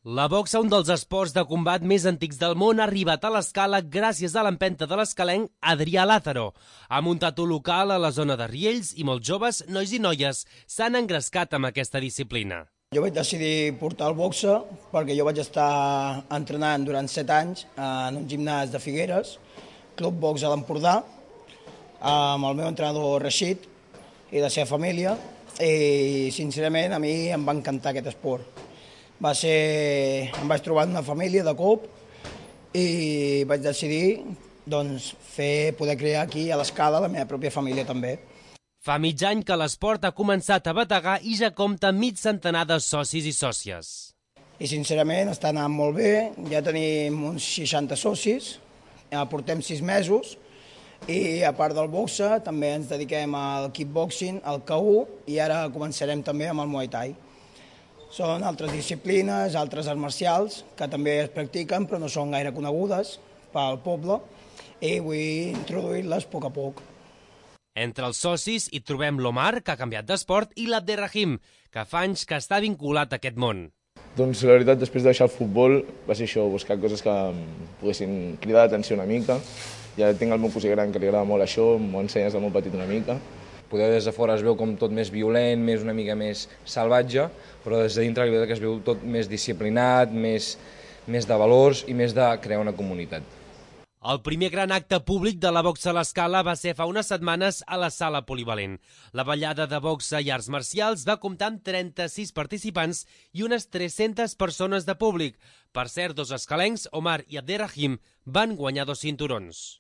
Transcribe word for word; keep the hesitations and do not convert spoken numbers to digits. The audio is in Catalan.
La boxa, un dels esports de combat més antics del món, ha arribat a l'Escala gràcies a l'empenta de l'escalenc Adrià Lázaro. Ha muntat un local a la zona de Riells i molts joves, nois i noies, s'han engrescat amb aquesta disciplina. Jo vaig decidir portar el boxa perquè jo vaig estar entrenant durant set anys en un gimnàs de Figueres, Club Box a l'Empordà, amb el meu entrenador Rashid i la seva família, i sincerament a mi em va encantar aquest esport. Va ser... Em vaig trobar en una família de cop i vaig decidir doncs, fer, poder crear aquí a l'Escala la meva pròpia família també. Fa mig any que l'esport ha començat a bategar i ja compta mig centenar de socis i sòcies. I sincerament està anant molt bé, ja tenim uns seixanta socis, ja portem sis mesos i a part del boxa també ens dediquem al kickboxing, al K u i ara començarem també amb el Muay Thai. Són altres disciplines, altres arts marcials, que també es practiquen però no són gaire conegudes pel poble i vull introduir-les a poc a poc. Entre els socis hi trobem l'Omar, que ha canviat d'esport, i l'Abderrahim, que fa anys que està vinculat a aquest món. Doncs la veritat, després de deixar el futbol, va ser això, buscar coses que em poguessin cridar l'atenció una mica. Ja tinc el meu cosí gran que li agrada molt això, m'ho ensenyes de molt petit una mica. Poder des de fora es veu com tot més violent, més una mica més salvatge, però des de dintre la veritat que es veu tot més disciplinat, més, més de valors i més de crear una comunitat. El primer gran acte públic de la boxa a l'Escala va ser fa unes setmanes a la sala polivalent. La ballada de boxa i arts marcials va comptar amb trenta-sis participants i unes tres-centes persones de públic. Per cert, dos escalencs, Omar i Abderrahim, van guanyar dos cinturons.